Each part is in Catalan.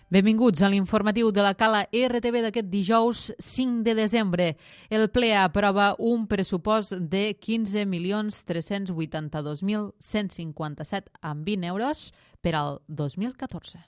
Benvinguts a l'informatiu de la Cala RTV d'aquest dijous 5 de desembre. El ple aprova un pressupost de 15.382.157,20 euros per al 2014.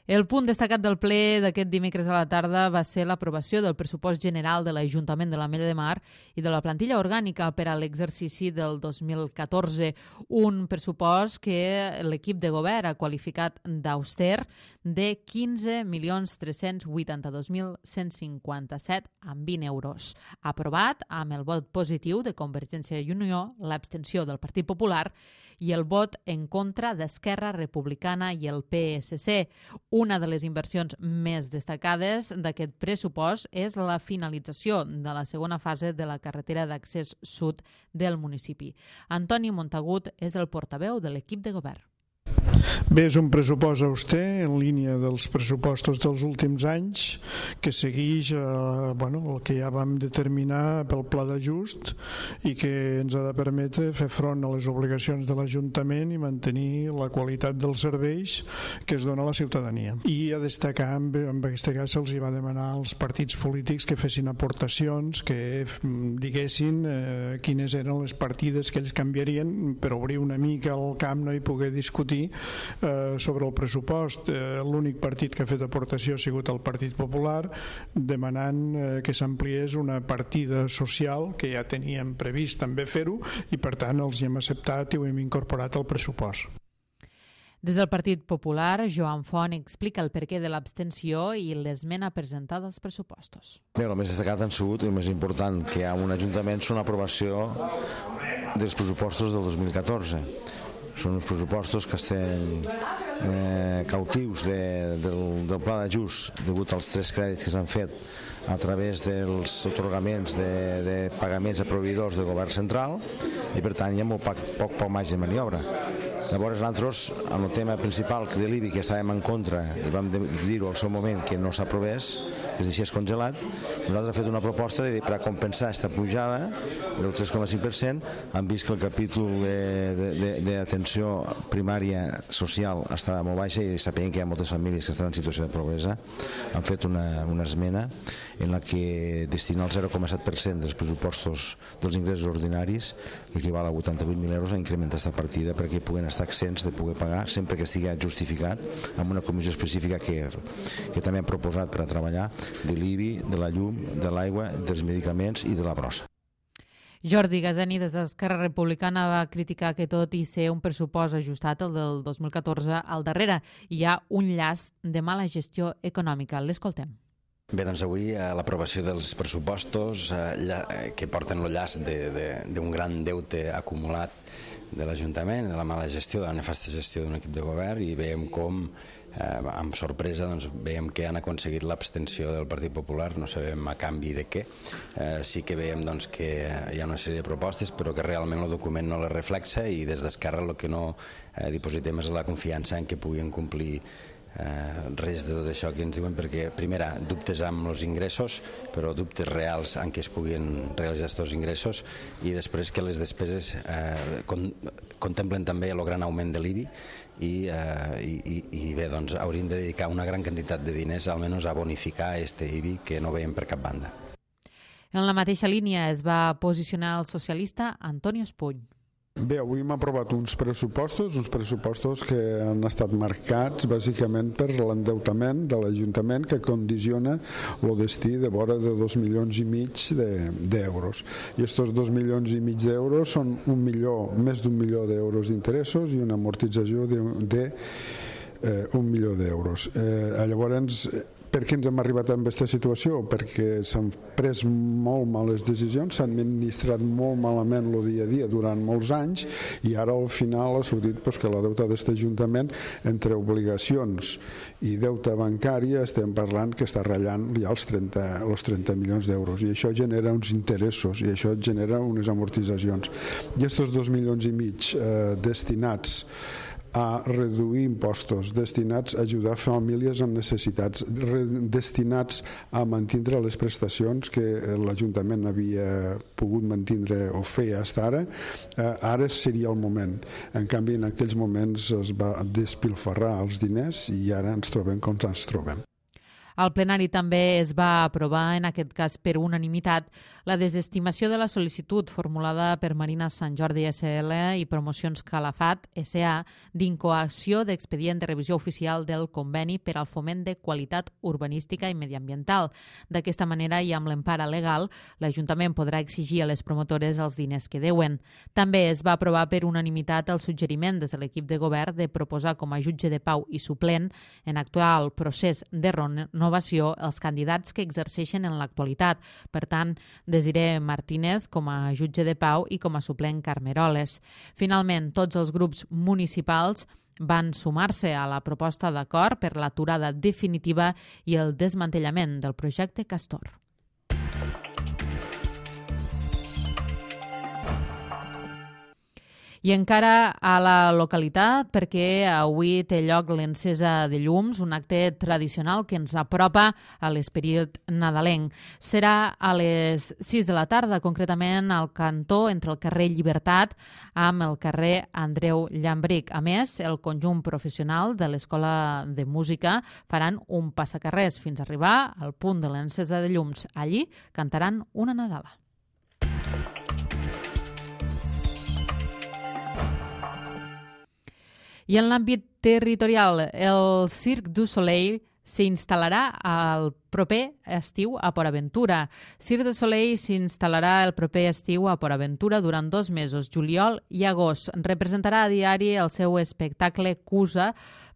El punt destacat del ple d'aquest dimecres a la tarda va ser l'aprovació del pressupost general de l'Ajuntament de l'Ametlla de Mar i de la plantilla orgànica per a l'exercici del 2014. Un pressupost que l'equip de govern ha qualificat d'auster de 15.382.157,20 euros. Aprovat amb el vot positiu de Convergència i Unió, l'abstenció del Partit Popular i el vot en contra d'Esquerra Republicana i el PSC. Una de les inversions més destacades d'aquest pressupost és la finalització de la segona fase de la carretera d'accés sud del municipi. Antoni Montagut és el portaveu de l'equip de govern. Bé, és un pressupost auster en línia dels pressupostos dels últims anys que segueix el que ja vam determinar pel pla d'ajust i que ens ha de permetre fer front a les obligacions de l'Ajuntament i mantenir la qualitat dels serveis que es dona a la ciutadania. I a destacar, en aquest cas se'ls va demanar als partits polítics que fessin aportacions, que diguessin quines eren les partides que ells canviarien per obrir una mica el camp i poder discutir sobre el pressupost. L'únic partit que ha fet aportació ha sigut el Partit Popular, demanant que s'ampliés una partida social que ja teníem previst també fer-ho i per tant els hi hem acceptat i ho hem incorporat al pressupost. Des del Partit Popular, Joan Font explica el perquè de l'abstenció i l'esmena presentada als pressupostos. Bé, el més destacat han sigut, el més important que hi ha un Ajuntament, és l'aprovació dels pressupostos del 2014. Són uns pressupostos que estem cautius del pla d'ajust degut als 3 crèdits que s'han fet a través dels atorgaments de pagaments a proveïdors del govern central i per tant hi ha molt poc marge de maniobra. Llavors nosaltres, en el tema principal de l'IBI, que estàvem en contra i vam dir-ho al seu moment que no s'aprovés, que es deixés congelat, nosaltres hem fet una proposta per a compensar aquesta pujada del 3,5%. Hem vist que el capítol d'atenció primària social estava molt baixa i sabent que hi ha moltes famílies que estan en situació de pobresa. Han fet una esmena en la que destina el 0,7% dels pressupostos dels ingressos ordinaris, que equival a 88.000 euros, a incrementar aquesta partida perquè puguen estar exents de poder pagar sempre que estigui justificat amb una comissió específica que també han proposat per a treballar de l'IBI, de la llum, de l'aigua, dels medicaments i de la brossa. Jordi Gaseni, des d'Esquerra Republicana, va criticar que tot i ser un pressupost ajustat, el del 2014, al darrere hi ha un llast de mala gestió econòmica. L'escoltem. Bé, doncs avui l'aprovació dels pressupostos que porten el llast d'un gran deute acumulat de l'Ajuntament, de la mala gestió, de la nefasta gestió d'un equip de govern, i veiem com, amb sorpresa, veiem que han aconseguit l'abstenció del Partit Popular, no sabem a canvi de què. Sí que veiem que hi ha una sèrie de propostes, però que realment el document no les reflexa, i des d'Esquerra el que no dipositem és la confiança en que puguin complir res de tot això que ens diuen, perquè primera, dubtes amb els ingressos, però dubtes reals en què es puguin realitzar aquests ingressos, i després que les despeses contemplen també el gran augment de l'IBI i bé, doncs hauríem de dedicar una gran quantitat de diners almenys a bonificar aquest IBI que no veiem per cap banda. En la mateixa línia es va posicionar el socialista Antonio Espuny. Bé, avui hem aprovat uns pressupostos que han estat marcats bàsicament per l'endeutament de l'Ajuntament, que condiciona el destí de vora de 2,5 milions d'euros. I aquests 2,5 milions d'euros són més d'1 milió d'euros d'interessos i una amortització de 1 milió d'euros. Llavors, per què ens hem arribat a aquesta situació? Perquè s'han pres molt males decisions, s'han administrat molt malament el dia a dia durant molts anys, i ara al final ha sortit que la deuta d'aquest Ajuntament, entre obligacions i deute bancari, estem parlant que està ratllant ja els 30 milions d'euros, i això genera uns interessos i això genera unes amortitzacions. I aquests 2,5 milions destinats a reduir impostos destinats a ajudar famílies amb necessitats, destinats a mantindre les prestacions que l'Ajuntament havia pogut mantindre o fer fins ara, ara seria el moment. En canvi, en aquells moments es va despilfarrar els diners i ara ens trobem com ens trobem. Al plenari també es va aprovar, en aquest cas per unanimitat, la desestimació de la sol·licitud formulada per Marina Sant Jordi SL i Promocions Calafat SA d'incoació d'expedient de revisió oficial del conveni per al foment de qualitat urbanística i mediambiental. D'aquesta manera i amb l'empara legal, l'Ajuntament podrà exigir a les promotores els diners que deuen. També es va aprovar per unanimitat el suggeriment des de l'equip de govern de proposar com a jutge de pau i suplent en actual procés de renovació els candidats que exerceixen en l'actualitat. Per tant, Desiré Martínez com a jutge de pau i com a suplent Carmeroles. Finalment, tots els grups municipals van sumar-se a la proposta d'acord per l'aturada definitiva i el desmantellament del projecte Castor. I encara a la localitat, perquè avui té lloc l'encesa de llums, un acte tradicional que ens apropa a l'esperit nadalenc. Serà a les 6 de la tarda, concretament al cantó entre el carrer Llibertat amb el carrer Andreu Llambric. A més, el conjunt professional de l'Escola de Música faran un passacarrers fins a arribar al punt de l'encesa de llums. Allí cantaran una nadala. I en l'àmbit territorial, el Cirque du Soleil s'instal·larà el proper estiu a Port Aventura. Cirque du Soleil s'instal·larà el proper estiu a Port Aventura durant 2 mesos, juliol i agost. Representarà a diari el seu espectacle Cusa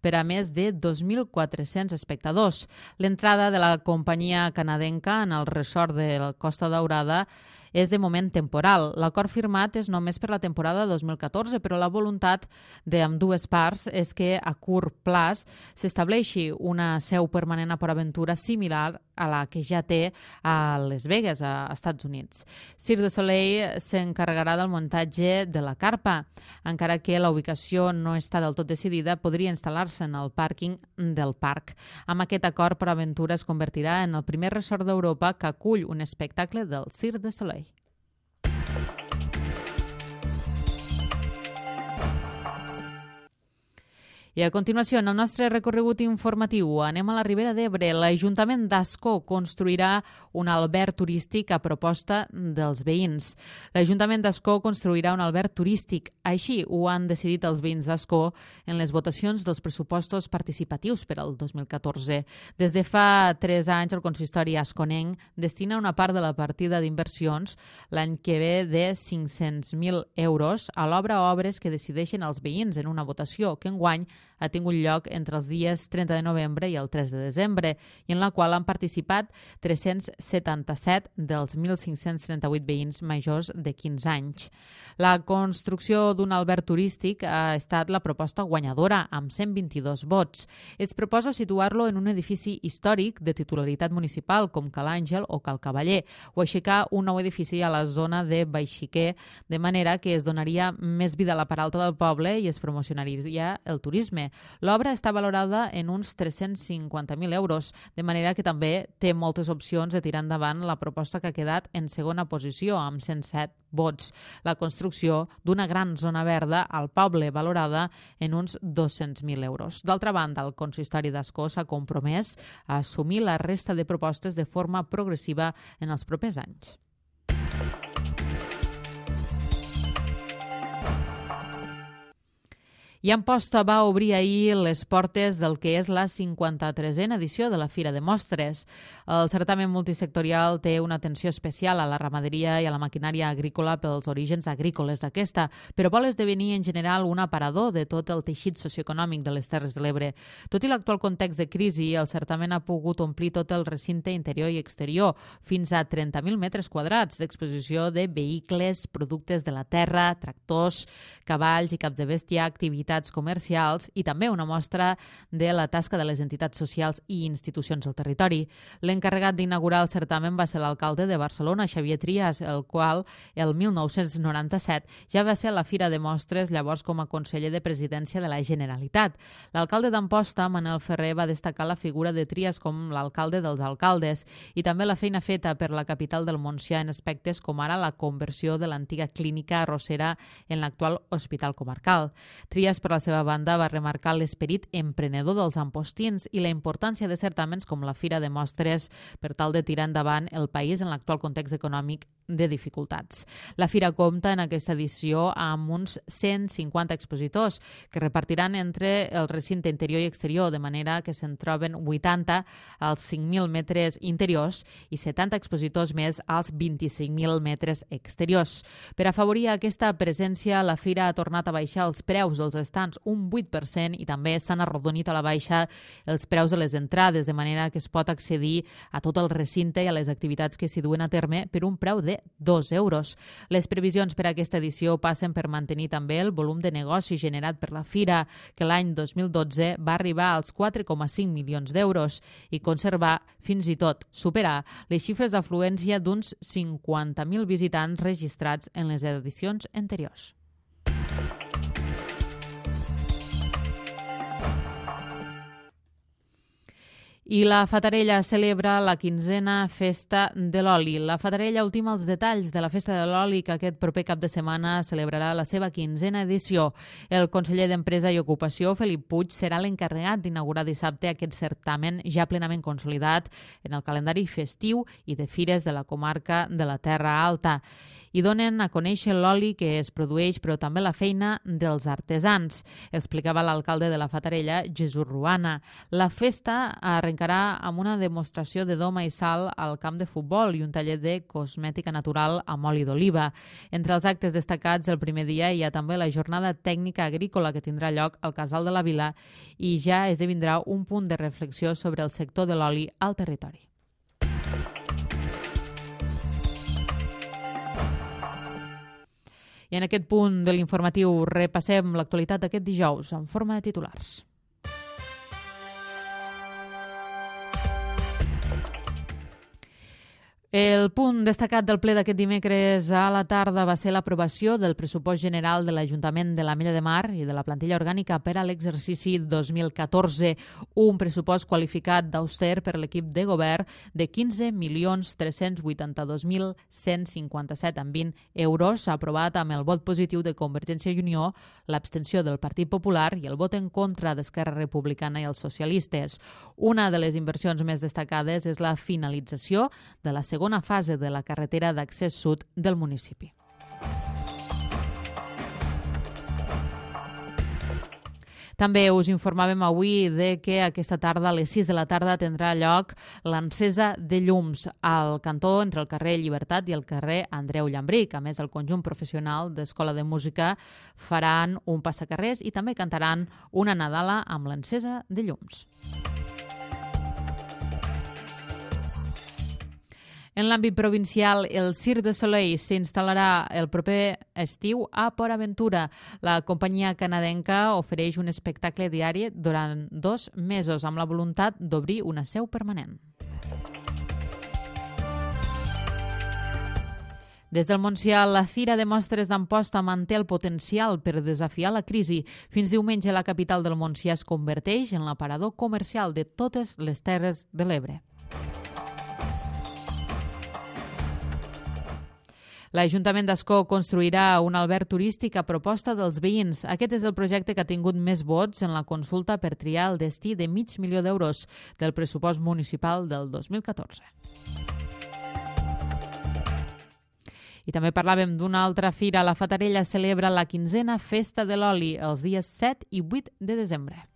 per a més de 2.400 espectadors. L'entrada de la companyia canadenca en el resort de la Costa Daurada és de moment temporal. L'acord firmat és només per la temporada 2014, però la voluntat d'ambdues parts és que a curt plaç s'estableixi una seu permanent a Port Aventura similar a la que ja té a Las Vegas, a Estats Units. Cirque du Soleil s'encarregarà del muntatge de la carpa. Encara que la ubicació no està del tot decidida, podria instal·lar-se en el pàrquing del parc. Amb aquest acord, Port Aventura es convertirà en el primer resort d'Europa que acull un espectacle del Cirque du Soleil. I a continuació, en el nostre recorregut informatiu, anem a la Ribera d'Ebre. L'Ajuntament d'Ascó construirà un alberg turístic a proposta dels veïns. L'Ajuntament d'Ascó construirà un alberg turístic. Així ho han decidit els veïns d'Ascó en les votacions dels pressupostos participatius per al 2014. Des de fa 3 anys, el consistori asconenc destina una part de la partida d'inversions l'any que ve de 500.000 euros a l'obra o obres que decideixen els veïns en una votació que enguany ha tingut lloc entre els dies 30 de novembre i el 3 de desembre i en la qual han participat 377 dels 1.538 veïns majors de 15 anys. La construcció d'un alberg turístic ha estat la proposta guanyadora amb 122 vots. Es proposa situar-lo en un edifici històric de titularitat municipal com Cal Àngel o Cal Cavaller o aixecar un nou edifici a la zona de Baixiquer, de manera que es donaria més vida a la part alta del poble i es promocionaria el turisme. L'obra està valorada en uns 350.000 euros, de manera que també té moltes opcions de tirar endavant la proposta que ha quedat en segona posició, amb 107 vots. La construcció d'una gran zona verda al poble, valorada en uns 200.000 euros. D'altra banda, el consistori d'Ascó s'ha compromès a assumir la resta de propostes de forma progressiva en els propers anys. I Amposta va obrir ahir les portes del que és la 53a edició de la Fira de Mostres. El certamen multisectorial té una atenció especial a la ramaderia i a la maquinària agrícola pels orígens agrícoles d'aquesta, però vol esdevenir en general un aparador de tot el teixit socioeconòmic de les Terres de l'Ebre. Tot i l'actual context de crisi, el certamen ha pogut omplir tot el recinte interior i exterior, fins a 30.000 metres quadrats d'exposició de vehicles, productes de la terra, tractors, cavalls i caps de bèstia, activitats activitats comercials i també una mostra de la tasca de les entitats socials i institucions del territori. L'encarregat d'inaugurar el certamen va ser l'alcalde de Barcelona, Xavier Trias, el qual el 1997 ja va ser a la Fira de Mostres, llavors com a conseller de Presidència de la Generalitat. L'alcalde d'Amposta, Manel Ferrer, va destacar la figura de Trias com l'alcalde dels alcaldes i també la feina feta per la capital del Montsià en aspectes com ara la conversió de l'antiga clínica arrossera en l'actual hospital comarcal. Trias, per la seva banda, va remarcar l'esperit emprenedor dels ampostins i la importància de certamens com la Fira de Mostres per tal de tirar endavant el país en l'actual context econòmic de dificultats. La Fira compta en aquesta edició amb uns 150 expositors que repartiran entre el recinte interior i exterior, de manera que se'n troben 80 als 5.000 metres interiors i 70 expositors més als 25.000 metres exteriors. Per afavorir aquesta presència, la Fira ha tornat a baixar els preus dels estants un 8% i també s'han arrodonit a la baixa els preus de les entrades, de manera que es pot accedir a tot el recinte i a les activitats que s'hi duen a terme per un preu de 2 euros. Les previsions per a aquesta edició passen per mantenir també el volum de negoci generat per la Fira, que l'any 2012 va arribar als 4,5 milions d'euros i conservar, fins i tot superar, les xifres d'afluència d'uns 50.000 visitants registrats en les edicions anteriors. I la Fatarella celebra la 15a Festa de l'Oli. La Fatarella ultima els detalls de la Festa de l'Oli, que aquest proper cap de setmana celebrarà la seva 15a edició. El conseller d'Empresa i Ocupació, Felip Puig, serà l'encarregat d'inaugurar dissabte aquest certamen ja plenament consolidat en el calendari festiu i de fires de la comarca de la Terra Alta. I donen a conèixer l'oli que es produeix, però també la feina dels artesans, explicava l'alcalde de la Fatarella, Jesús Ruana. La festa arrencarà amb una demostració de doma i sal al camp de futbol i un taller de cosmètica natural amb oli d'oliva. Entre els actes destacats el primer dia hi ha també la jornada tècnica agrícola que tindrà lloc al Casal de la Vila i ja esdevindrà un punt de reflexió sobre el sector de l'oli al territori. I en aquest punt de l'informatiu repassem l'actualitat d'aquest dijous en forma de titulars. El punt destacat del ple d'aquest dimecres a la tarda va ser l'aprovació del pressupost general de l'Ajuntament de l'Ametlla de Mar i de la plantilla orgànica per a l'exercici 2014, un pressupost qualificat d'auster per l'equip de govern de 15.382.157,20 euros, aprovat amb el vot positiu de Convergència i Unió, l'abstenció del Partit Popular i el vot en contra d'Esquerra Republicana i els socialistes. Una de les inversions més destacades és la finalització de la segona fase de la carretera d'accés sud del municipi. També us informàvem avui de que aquesta tarda, a les 6 de la tarda, tindrà lloc l'encesa de llums al cantó entre el carrer Llibertat i el carrer Andreu Llambric. A més, el conjunt professional d'Escola de Música faran un passacarrers i també cantaran una nadala amb l'encesa de llums. En l'àmbit provincial, el Cirque du Soleil s'instal·larà el proper estiu a Port Aventura. La companyia canadenca ofereix un espectacle diari durant 2 mesos amb la voluntat d'obrir una seu permanent. Des del Montsià, la Fira de Mostres d'Amposta manté el potencial per desafiar la crisi. Fins diumenge, la capital del Montsià es converteix en l'aparador comercial de totes les Terres de l'Ebre. L'Ajuntament d'Ascó construirà un alberg turístic a proposta dels veïns. Aquest és el projecte que ha tingut més vots en la consulta per triar el destí de $500.000 del pressupost municipal del 2014. I també parlàvem d'una altra fira. La Fatarella celebra la 15a Festa de l'Oli els dies 7 i 8 de desembre.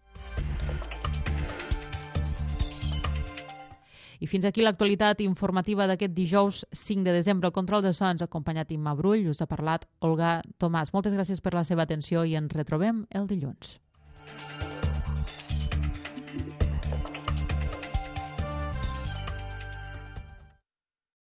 I fins aquí l'actualitat informativa d'aquest dijous 5 de desembre. El control de sons acompanyat Imma Brull. Us ha parlat Olga Tomàs. Moltes gràcies per la seva atenció i ens retrobem el dilluns.